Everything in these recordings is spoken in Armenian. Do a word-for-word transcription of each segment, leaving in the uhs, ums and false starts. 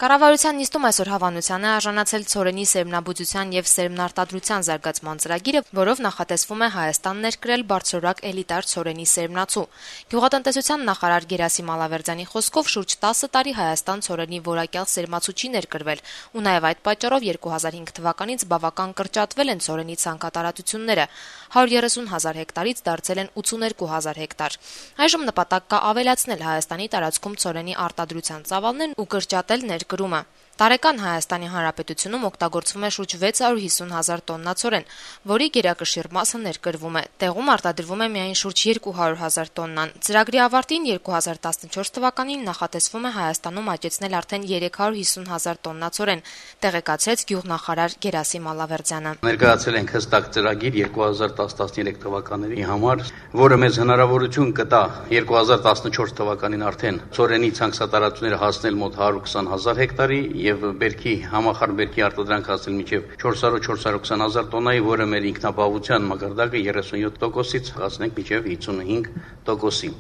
Կառավարության նիստում այսօր հավանության է արժանացել ցորենի սերմնաբուծության եւ սերմնարտադրության զարգացման ծրագիրը, որով նախատեսվում է Հայաստան ներկրել բարձրորակ էլիտար ցորենի սերմնացու։ Գյուղատնտեսության նախարար Գերասիմ Ալավերդյանի խոսքով շուրջ տասը տարի Հայաստան ցորենի որակյալ սերմացու չի ներկրվել, ու նաեւ այդ պատճառով երկու հազար հինգ թվականից բավական կրճատվել են ցորենի ցանկատարածությունները։ հարյուր երեսուն հազար հեկտարից դարձել են ութսուներկու հազար հեկտար։ Այժմ նպատակ կա ավելացնել Հայաստանի տարածքում ցորենի արտադրության ծավալներն ու կրճատել ներկրումը։ Տարեկան Հայաստանի Հանրապետությունում օգտագործվում է շուրջ վեց հարյուր հիսուն հազար տոննա ցորեն, որի գերակշիռ մասը ներկրվում է։ Տեղում արտադրվում է միայն շուրջ երկու հարյուր հազար տոննան։ Ծրագրի ավարտին երկու հազար տասնչորս թվականին նախատեսվում է Հայաստանում աճեցնել արդեն երեք հարյուր հիսուն հազար տոննա ցորեն, տեղեկացրեց գյուղնախարար Գերասիմ Ալավերդյանը։ Ներկայացել ենք հստակ ծրագիր երկու հազար տասը տասներեք թվականների համար, որը մեզ հնարավորություն կտա երկու հազար տասնչորս թվականին արդեն ցորենի ցանքսատարածությունները հասնել մոտ հարյուր քսան հազար հեկտարի եւ բերքի համախառն բերքի արտադրանք հասնել մինչեւ չորս հարյուր չորս հարյուր քսան հազար տոննայի, որը մեր ինքնապահովության մակարդակը երեսունյոթ տոկոսից հասնենք մինչեւ հիսունհինգ տոկոսի։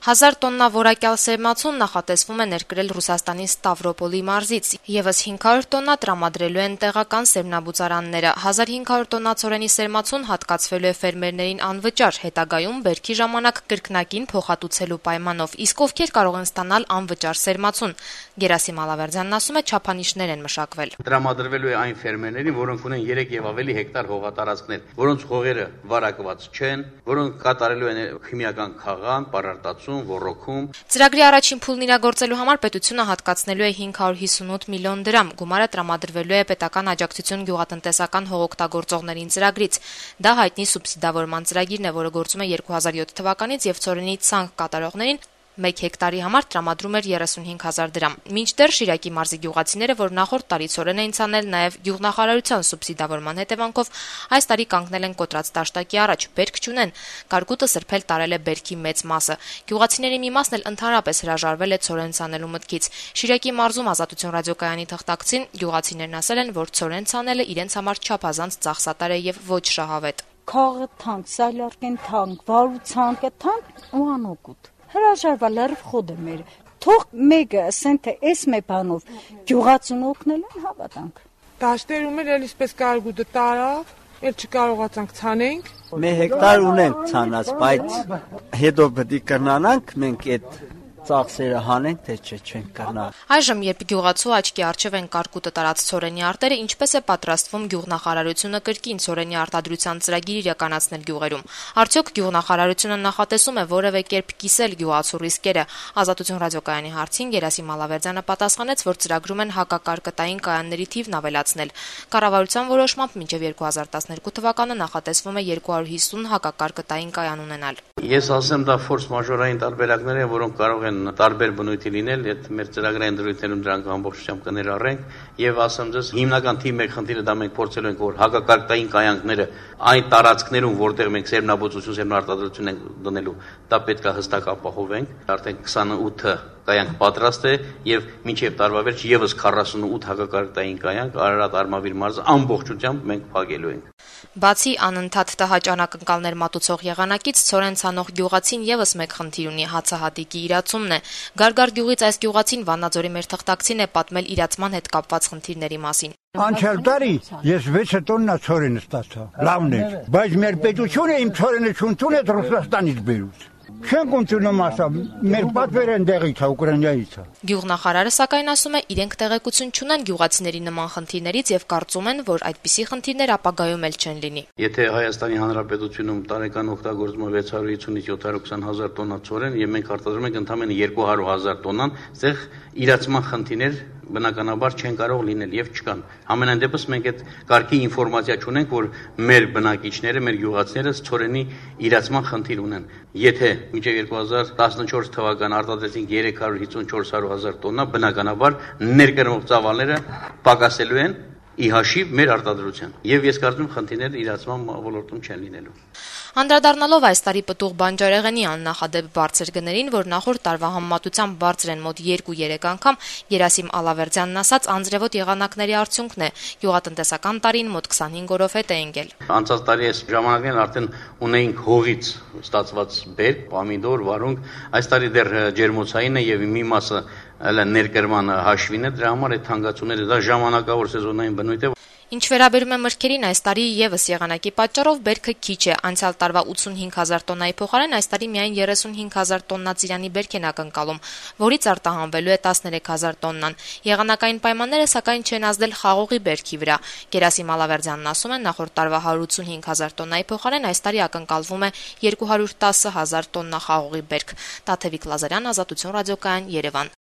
Հազար տոննա որակյալ սերմացուն նախատեսվում է ներկրել Ռուսաստանի Ստավրոպոլի մարզից, եւս հինգ հարյուր տոննա տրամադրելու են տեղական սերմնաբուծարանները։ հազար հինգ հարյուր տոննա ցորենի սերմացուն հատկացվելու է ֆերմերներին անվճար, հետագայում բերքի ժամանակ կրկնակին փոխհատուցելու պայմանով, իսկ ովքեր կարող են ստանալ անվճար սերմացուն։ Գերասիմ Ալավերդյանն ասում է, չափանիշներ են մշակվել։ Տրամադրվելու է այն ֆերմերներին, որոնք ունեն երեք եւ ավելի հեկտար հողատարածքներ, որոնց հողերը վարակված չեն, որոնք կատարելու են քիմիական խաղան, պարարտացում, ոռոգում։ Ծրագրի առաջին փուլն իրագործելու համար պետությունը հատկացնելու է հինգ հարյուր հիսունութ միլիոն դրամ, գումարը տրամադրվելու է պետական աջակցություն գյուղատնտեսական հողօգտագործողներին ծրագրից։ Դա հայտնի սուբսիդավորման ծրագիրն է, որը գործում է երկու հազար յոթ թվականից եւ ցորենի ցանկ կատարողներին մեկ հեկտարի համար տրամադրում էր երեսունհինգ հազար դրամ։ Մինչդեռ Շիրակի մարզի գյուղացիները, որ նախորդ տարի ցորեն էին ցանել նաև գյուղնախարարության սուբսիդավորման հետևանքով, այս տարի կանգնել են կոտրած դաշտակի առաջ, բերք չունեն։ Կարկուտը սրբել տարել է բերքի մեծ մասը։ Գյուղացիների մի մասն էլ ընդհանրապես հրաժարվել է ցորեն ցանելու մտքից։ Շիրակի մարզում Ազատություն ռադիոկայանի թղթակցին գյուղացիներն ասել են, որ ցորեն ցանելը իրենց համար չափազանց ծախսատար է եւ ոչ շահավետ։ Քաղը թանկ, սալարկեն թանկ, վարուցանքը թանկ ու անօգուտ։ Հրաժարվել էր խոդը մեր։ Թող մեկը ասեն, թե այս մի բանով գյուղացուն օգնել են, հավատանք։ Դաշտերում էլ էլիսպես կարգուտը տարավ, էլ չկարողացանք ցանենք։ Մի հեկտար ունենք ցանած, բայց հետո պետք է կրնանանք մենք այդ ծախսերը հանենք, թե չէ չենք կրնա։ Այժմ, երբ գյուղացու աչքի առջև են կարկուտը տարած ցորենի արտերը, ինչպես է պատրաստվում գյուղնախարարությունը կրկին ցորենի արտադրության ծրագիր իրականացնել գյուղերում։ Արդյոք գյուղնախարարությունը նախատեսում է որևէ կերպ կիսել գյուղացու ռիսկերը։ Ազատություն ռադիոկայանի հարցին Գերասիմ Ալավերդյանը պատասխանեց, որ ծրագրում են հակակարկտային կայանների թիվն ավելացնել։ Կառավարության որոշմամբ մինչև երկու հազար տասներկու թվականը նախատեսվում է երկու հարյուր հիսուն հակակարկտային կայան ունենալ։ Ես ասեմ, դա ֆորս մաժորային տարբերակներ են, որոնք կարող են տարբեր բնույթի լինել, այդ մեր ծրագրային դրույթներում դրանք ամբողջությամբ կներառենք եւ ասեմ ձեզ հիմնական թիվ մեկ խնդիրը դա մենք փորձելու ենք, որ հակակարկտային կայանքները այն տարածքներում, որտեղ մենք սերմնաբուծություն, սերմնարտադրություն ենք դնելու, դա պետք է հստակ ապահովենք։ Արդեն քսանութ կայանք պատրաստ է եւ մինչեւ տարվա վերջ եւս քառասունութ հակակարկտային կայանք Արարատ Արմավիր մարզը ամբողջությամբ մենք փակելու ենք։ Բացի անընդհատ տհաճ անակնկալներ մատուցող եղանակից ցորեն ցանող գյուղացին եւս մեկ խնդիր ունի՝ հացահատիկի իրացումն է։ Գարգար գյուղից այս գյուղացին Վանաձորի մեր թղթակցին է պատմել իրացման հետ կապված խնդիրների մասին։ Անցյալ տարի ես վեց տոննա ցորեն ստացա։ Լավն է, բայց մեր պետությունը իմ ցորենը չընդունել Ռուսաստանից բերուց։ Չենք ընդունում ասա, մեր պատվերը ընդեղից է, Ուկրաինայից է։ Գյուղնախարարը սակայն ասում է, իրենք տեղեկություն չունեն գյուղացիների նման խնդիրներից եւ կարծում են, որ այդպիսի խնդիրներ ապագայում էլ չեն լինի։ Եթե Հայաստանի Հանրապետությունում տարեկան օգտագործվում է վեց հարյուր հիսունից յոթ հարյուր քսան հազար տոննա ցորեն եւ մենք արտադրում ենք ընդամենը երկու հարյուր հազար տոննան, այդտեղ իրացման խնդիրներ բնականաբար չեն կարող լինել եւ չկան։ Ամենայն դեպս մենք այդ կարգի ինֆորմացիա չունենք, որ մեր բնակիչները, մեր գյուղացիները ցորենի իրացման խնդիր ունեն։ Եթե մինչև երկու հազար տասնչորս թվական արտադրեցինք երեք հարյուր հիսուն չորս հարյուր հազար տոննա, բնականաբար ներկրվող ծավալները պակասելու են ի հաշիվ մեր արտադրության։ Եվ ես կարծում եմ խնդիրները իրացման ոլորտում չեն լինելու։ Անդրադառնալով այս տարի պտուղ բանջարեղենի աննախադեպ բարձր գներին, որ նախորդ տարվա համեմատությամբ բարձր են մոտ երկու-երեք անգամ, Գերասիմ Ալավերդյանն ասաց, անձրևոտ եղանակների արդյունքն է։ Գյուղատնտեսական տարին մոտ քսանհինգ օրով հետ է ընկել։ Անցած տարի այս ժամանակներն արդեն ունեինք հողից ստացված բերք, պամիդոր, վարունգ, այս տարի դեռ ջերմոցային է եւ մի մասը այլ ներկրման հաշվին է, դրա համար այդ թանկացումները դա ժամանակավոր սեզոնային բնույթ է։ Ինչ վերաբերում է մրգերին, այս տարի եւս եղանակի պատճառով բերքը քիչ է։ Անցյալ տարվա ութսունհինգ հազար տոննայի փոխարեն այս տարի միայն երեսունհինգ հազար տոննա ծիրանի բերք են ակնկալում, որից արտահանվելու է տասներեք հազար տոննան։ Եղանակային պայմանները սակայն չեն ազդել խաղողի բերքի վրա։ Գերասիմ Ալավերդյանն ասում է, նախորդ տարվա հարյուր ութսունհինգ հազար տոննայի փոխարեն այս տարի ակնկալվում է երկու հարյուր տասը հազար տոննա խաղողի բերք։ Տաթևիկ Լազարյան, Ազատություն ռադիոկայան, Երևան։